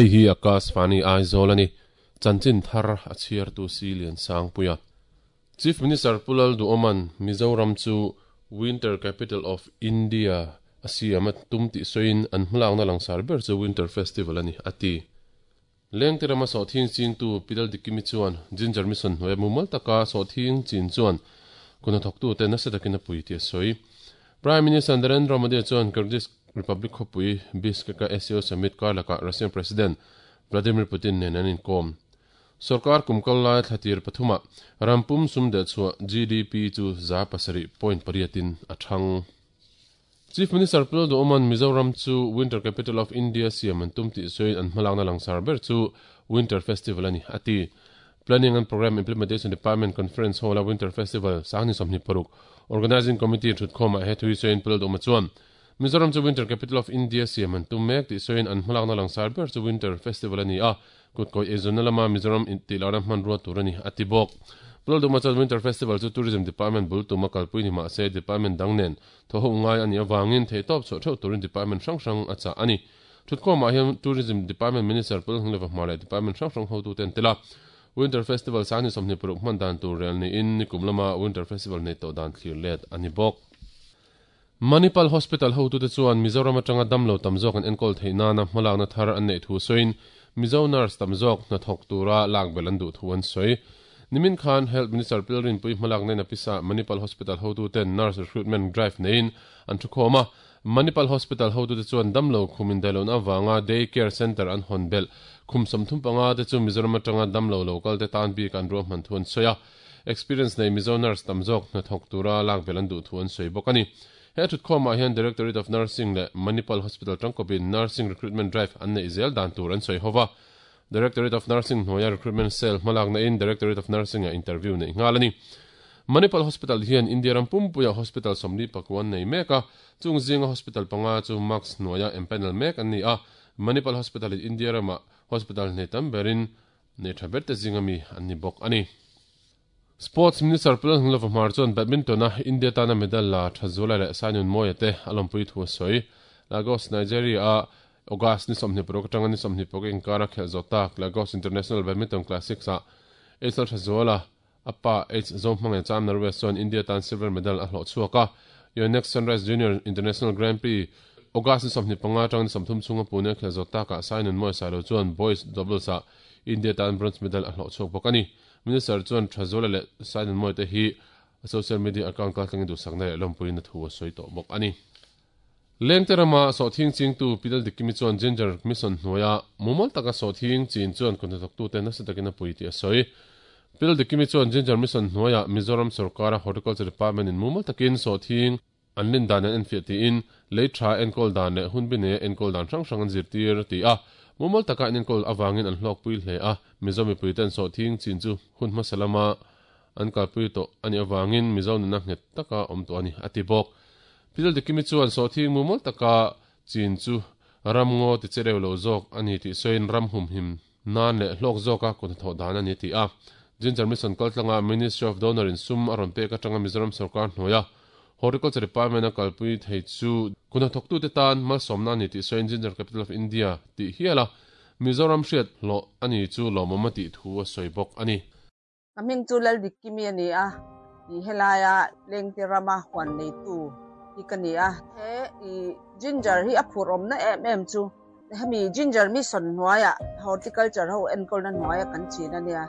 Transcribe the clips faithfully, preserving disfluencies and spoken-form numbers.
Hei hi Akashvani Aizawl ani. Chanchin thar a chhiartu si lian sangpuia. Chief Minister Pu Lalduhoma'n Mizoram chu Winter Capital of India a siam a tum tih sawiin an hmalakna langsar ber chu Winter Festival a ni, a ti. Lengte rama sawhthing chingtu Pi Laldikimi chuan Ginger Mission hnuaia mumal taka sawhthing chin chuan kun hnathawktute nasa takin a pui tih a sawi. Prime Minister Narendra Modi chuan Kyrgyz Republic khawpui Bishkek-a S C O Summit kar lakah Russian President Vladimir Putin nen an inkawm. Sorkar kum kal lai thlatir pathumah rampum sum deh chhuah G D P chu za pasarih point pariatin a thang. Chief Minister Pu Lalduhoma'n Mizoram chu Winter Capital of India siam an tum tih sawiin an hmalakna langsar ber chu Winter Festival a ni, a ti. Planning and Programme Implementation Department Conference Hall-a Winter Festival Sangni sawmhnih paruk Organising Committee thutkhawmah he thui sawiin Pu Lalduhoma chuan Mizoram chu Winter Capital of India siam an tum mek tih sawiin an hmalakna langsar ber chu Winter Festival a ni a, kutkawi eizawnna lama Mizoram tihlohna hmanrua tur a ni, a ti bawk. Pu Lalduhoma chuan Winter Festival chu Tourism Department bul tuma kalpui ni mahse Department dang nen thaw ho ngai a nih avangin theihtawp chhuah theuh turin Department hrang hrang a chah a ni. Thutkhawmah hian Tourism Department Minister Pu Lalhngleva hmar leh Department hrang hrang hotute an tel a. Winter Festival Sangni sawmhnih paruk hman dan tur rel niin nikum lama Winter Festival nei tawh dan thlir let a ni bawk. Manipal Hospital hotute chuan Mizoram atanga damlo tam zawk an enkawl theih nana hmalakna thar an neih thu sawiin Mizo nurse tam zawk hnathawk tura lak belh an duh thu an sawi. Nimin khan Health Minister Pil Rinpui hmalak nena pisa Manipal Hospital hotuten nurse recruitment drive neiin an thukhawm a. Manipal Hospital hotute chuan damlo khum indaihlohna avanga day care centre an hawn belh khum sawmthum panga te chu Mizoram atanga damlo local te tan bik an ruahman thu an sawi a. Experience nei Mizo nurse tam zawk hnathawk tura lak belh an duh thu an sawi bawk a ni. He thutkhawmah hian Directorate of Nursing leh Manipal Hospital tangkawpin Nursing Recruitment Drive an neih zel dan tur an sawi hova. Directorate of Nursing hnuaia Recruitment Cell hmalakna in Directorate of Nursing ah interview neih nghal a ni. Manipal Hospital hian India ram pumpuia hospital sawmli pakua an nei mek a, chung zinga hospital panga chu Max hnuaia empanel mek an ni a. Manipal Hospital in India ramah hospital hnei tam berin nei tha ber te zinga mi an ni bawk a ni. Sports Minister Pu Lalhnglova Hmar chuan badminton-a India tana medal la Thazuala leh Sainun Mawia te a lawmpui thu a sawi. Lagos, Nigeria-a August ni sawmhnih paruk atanga ni sawmhnih paruk inkara khelh zawh tak Lagos International Badminton Classics-ah H L Thazuala a pa H Zohmangaih Cham Norwest chuan India tan silver medal a hlawh chhuak a. Yonex Sunrise Junior International Grand Prix August ni sawmhnih panga atanga ni sawmthum chhunga Pune a khelh zawh takah Sainun Mawia Sailo chuan boys doubles-ah India tan bronze medal a hlawh chhuak bawk a ni. Minister chuan Thazuala leh Sainun Mawia te hi a social media account kaltlangin duhsakna leh lawmpuiin a thu a sawi tawh bawk a ni. Lengte rama sawhthing chingtu Pi Laldikimi chuan Ginger Mission hnuaia mumal taka sawhthing chin chuan kun hnathawktute nasa takin a pui tih a sawi. Pi Laldikimi chuan Ginger Mission hnuaia Mizoram sorkara Horticulture Department in mumal takin sawhthing an lin dan an enfiah tiin lei tha enkawl dan leh hun bi neia enkawl dan hrang hrang an zirtir a ti a. Mumal taka an enkawl avangin an hlawkpui hle a, Mizo mipuiten sawhthing chin chu hun hmasa lama an kalpui tawh a nih avangin Mizo nuna nghet taka awm tawh a ni, a ti bawk. Pi Laldikimi chuan sawhthing mumal taka chin chu ramngaw ti che reu lo zawk a ni tih sawiin ram humhim nan leh hlawk zawka kut hnathawh dan a ni a ti a. Ginger Mission kaltlanga Ministry of Donor in sum a rawn pek atanga Mizoram sorkar hnuaia Horticulture Department a kalpui thei chu kun hnathawktute tan malsawmna a ni tih sawiin Ginger Capital of India tih hial a Mizoram hriat hlawh a ni chu lawmawm a tih thu a sawi bawk a ni. Ka hming chu Laldikimi a ni a, i helaia Lengte rama huan neitu hi ka ni a. He i ginger hi a phur awmna em em chu hemi ginger mission hnuaiah horticulture ho enkawlna hnuaia kan chin a nia.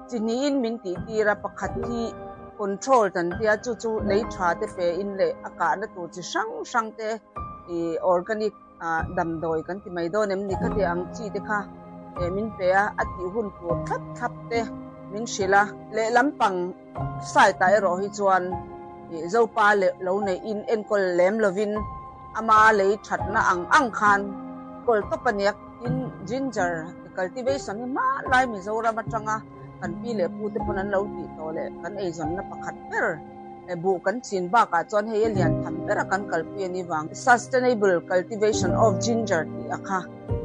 Chi hnihin min tih tir a, pakhat hi control tan tia chu chu lei tha te pe in leh a kahna tur chi hrang hrang te i organic damdawi kan ti mai dawn em ni khati ang chi te kha min pe a, a tih hun tur thlap thlap te min hrilh a. Leh lampang side ah erawh hi chuan Zopa leh lo nei in enkawl lem lovin ama lei thatna ang ang khan kawl tawp a nia. Tin ginger cultivation hi hma lai Mizoram atanga kan pi leh pu te pawn an lo tih tawh leh kan eizawnna pakhat ber buh kan chin bakah chuan hei a lian tham ber a kan kalpui a ni vang. Sustainable cultivation of ginger tih a kha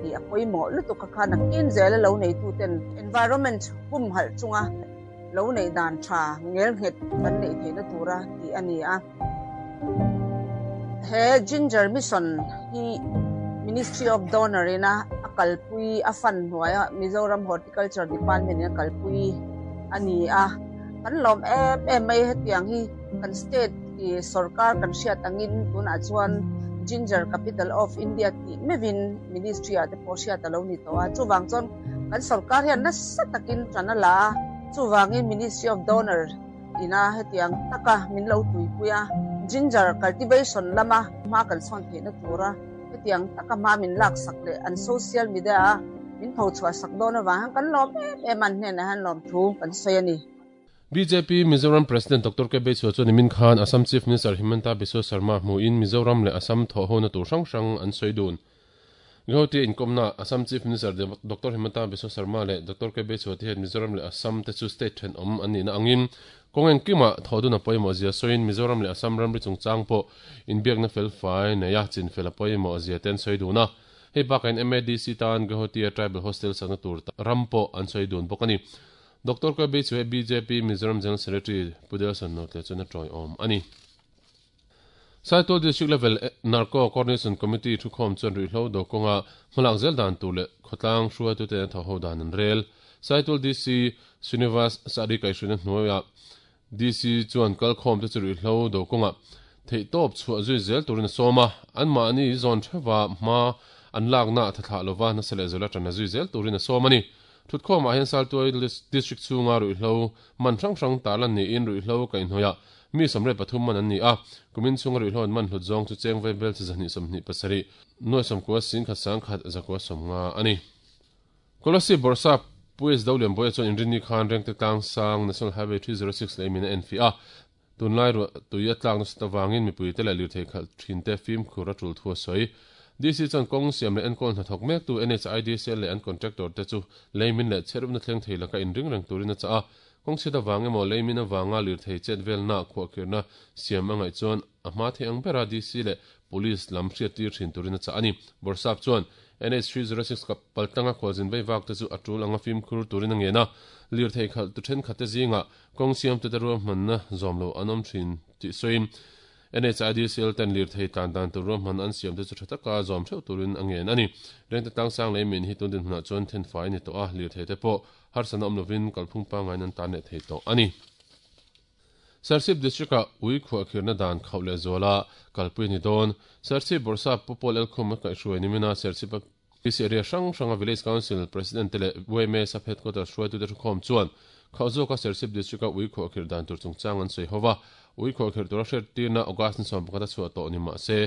tih a pawimawh lutuk a kha nakin zel a lo neitu ten environment humhalh chunga lo nei dan tha ngel nghet kan neih theihna tura tih a ni a. He Ginger Mission hi Ministry of Donor ina a kalpui a fan hnuaia Mizoram Horticulture Department in a kalpui ani a kan lawm em em mai hetiang hi kan state i sarkar kan hriat angin tunah chuan Ginger Capital of India tih meuhin ministry ah te pawh hriat alo ni tawh a chuwang chuan kan sarkar hian nasa takin tan a la a chuwangin Ministry of Donor ina hetiang taka min lo tuipui a ginger cultivation lama hma kan sawn theihna tura hetiang taka hma min lak sak leh an social media a min pho chhuah sak dawn awang hian kan lawm em em an hnenah hian lawm thu kan sawi ani. B J P Mizoram President Doctor K B Chua chuan nimin khan Assam Chief Minister Himanta Biswa Sarma hmuin Mizoram leh Assam thawh hona tur hrang hrang an sawi dun. Guwahati inkomna Assam Chief Minister Doctor Himanta Biswa Sarma leh Doctor K B Chua te hian Mizoram leh Assam te chu state then awm an nihna angin kawng engkima thawh dun a pawimawh zia sawiin Mizoram leh Assam ramri chungchang pawh inbiakna fel fai nei a chinfel a pawimawh zia te an sawi dun a. Hei bakain M A D C tan Guwahati a Tribal Hostel sakna tur ram pawh an sawi dun bawk ani. Doctor K B Chua B J P Mizoram General Secretary Pudelson Notle chuan a tawi awm ani. Saitual District Level Narco Coordination Committee thukhawm chuan ruihhlo do kawnga hmalak zel dan tur leh khawtlang hruaitu te an thaw ho dan an rel. Saitual D C Srinivas Sari kaihhruina hnuaiah D C chuan kalkhawm te chu ruihhlo do kawnga theih tawp chhuah zui zel turin a sawm a an mahni zawn thewa hma an lakna thathlah lova nasa leh zela tana zui zel turin a sawm ani. Thutkhawmah hian Saitual District chhunga ruihhlo man hrang hrang tarlan niin ruihhlo kaihhnawih mi sawmre pathum man an ni a kumin chhunga ruihhlo an man hlut zawng chu cheng vai bel chi zahnih sawmhnih pasarih nuai sawmkua sing khat sang khat zakua sawmnga ani. Kolasib Borsa P S Dolian Boya chuan inrinni khan rengte tlang sang National Highway three zero six lei min a en fi a tunlai ru tuia tlak nasa tawangin mipui te leh lirthei khalh thin te fimkhur a tul thu a sawi. D C chuan kawng siam leh enkawl hnathawk mek tu N H I D C L leh an contractor te chu leimin leh chherupna thleng thei laka inring reng turin a chah a kawng chhiat awang emaw leimin awanga lirthei chet velna khuahkhirna siam angaih chuan a hma thei ang bera D C leh police lam hriat tir thin turin a chah ani. Borsap chuan N H three zero six ka paltanga khualzin vei vak te chu a tul anga fimkhur turin a ngen a lirthei khalh tu thenkhat te zinga kawng siam te te ruahmanna zawm lo an awm thin tih sawiin N H I D C L ten lirthei tlan dan tur ruahman an siam te chu tha taka zawm theuh turin a ngen ani. Rengte tlang sang lei min hi tun din hmunah chuan then fai ni tawh a lirthei te pawh harsana awm lovin kalphung pangngain an tan leh thei tawh ani. Serchhip District a ui khuahkhirna dan khauh leh zuala kalpui ni dawn. Serchhip Borsa Pupol Elkhum a kaihhruai nimina Serchhip a P C area hrang hranga Village Council President te leh U M A sub headquarters hruaitu te thukhawm chuan khauhzawka Serchhip District a ui khuahkhir dan tur chungchang an sawi hova ui khuahkhir tura hriat tirna August ni sawm pakhat a chhuah tawh ni mah se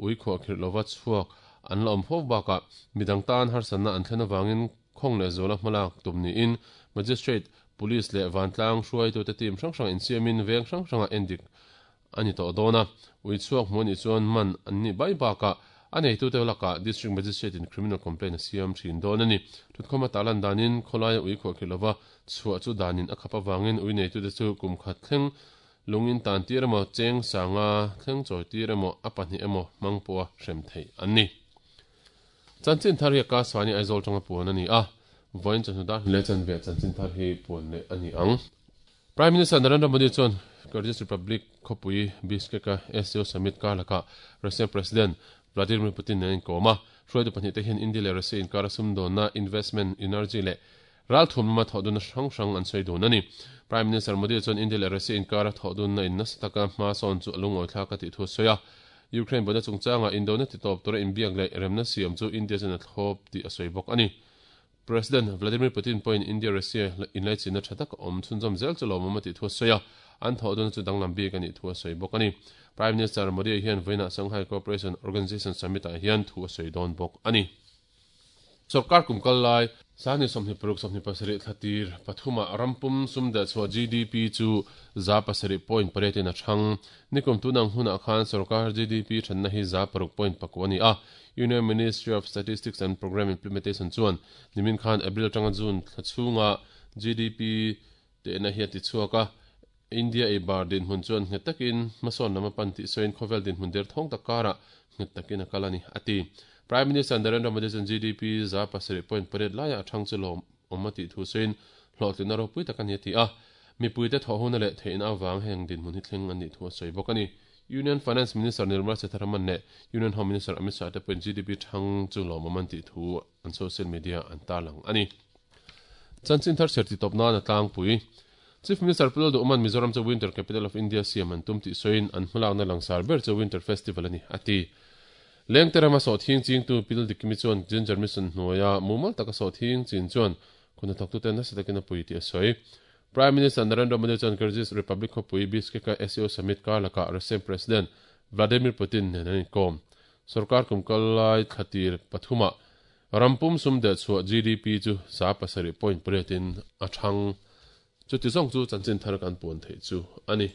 ui khuahkhir lova chhuak an la awm fo bakah midang tan harsana an thlen awangin khawng leh zuala hmalak tum niin Magistrate Police leh Vantlang hruaitu te team hrang hrang insiamin veng hrang hranga endik ani tawh dawn a ui chhuak hmu ani chuan man an ni bai bakah a neitu te lakah District Magistrate in criminal complaint a siam thin dawn ani. Thutkhawm a tarlan danin khawlaia ui khuahkhir lova chhuah chu danin a khap awangin ui neitu te chu kum khat thleng lungin tan tir emaw cheng sanga thleng chawi tir emaw a pahnih emaw hmang pawha hrem thei an ni. Chanchin thar hi a Kaswani Aizawl tanga puan ani a voin chanhu dar le chan ve chanchin thar hi puan leh ani ang. Prime Minister Narendra Modi chuan Kyrgyz Republic khawpui Bishkek a S C O Summit karlaka Russian President Vladimir Putin nen inkawm a hruaitu pahnih te hian India leh Russia inkar a sumdawnna investment energy leh ral thum lama thawh dunna hrang hrang an sawi dun ani. Prime Minister Modi chuan India leh Russia inkar a thawh dunna in nasa taka hma sawn chu a lungawi thlak a tih thu a sawi a. Ukraine bona chungchanga Indona ti tawp tura inbiak leh remna siam chu India chuan a thlawp tih a sawi bawk ani. President Vladimir Putin pawhin India Russia inlaichinna tha tak awm chhunzawm zel chu lawmawm a tih thu a sawi a an thawh dunna chu danglam bik ani thu a sawi bawk ani. Prime Minister Modi hian vawiinah Shanghai Cooperation Organization Summit ah hian thu a sawi dawn bawk ani. Sarkar kumkal lai sani sawmhnih paruk sawmhnih pasarih thlatir pathuma rampum sumda chhuah G D P chu za pasarih point pariat in a thang nikum tunang hunah khan sarkar G D P thanna hi za paruk point pakua ani a. Union Ministry of Statistics and Program Implementation chuan nimin khan April tanga June thlachhunga G D P te na hi a ti chhuak a India e bar din hmun chuan nghet takin hmasawn lama pan tih sawiin khawvel din hmun der thawng tak karah nghet takin a kal ani ati. Prime Minister Narendra Modi chuan G D P za pasarih point pariat laiah a thang chu lawm awm a tih thu sawiin hlawhtlina ropui tak ani a ti a mipui te thawh huna leh theihna awang heng din hmun hi thleng ani thu a sawi bawk ani. Union Finance Minister Nirmala Sitharaman leh Union Home Minister Amit Shah te pawhin G D P thang chu lawmawm an tih thu an social media an tarlang a ni. Chanchin thar chher ti tawp nan a tlangpui. Chief Minister Pu Lalduhawman Mizoram chu Winter Capital of India siam an tum tih sawiin an hmalakna langsar ber chu Winter Festival a ni, a ti. Lengte rama sawhthing chingtu Pil Dikimi chuan Ginger Mission hnuaia mumal taka sawhthing chin chuan khuna thawktute nasa takin a pui tih a sawi. Prime Minister Narendra Modi chuan Kyrgyz Republic khawpui Bishkek-a S C O Summit kar lakah Russian President Vladimir Putin nen an inkawm. Sorkar kum kal lai thlatir pathumah rampum sum deh chhuah G D P chu za pasarih point pariatin a thang. Chuti zawng chu chanchin thar kan puan theih chu a ni.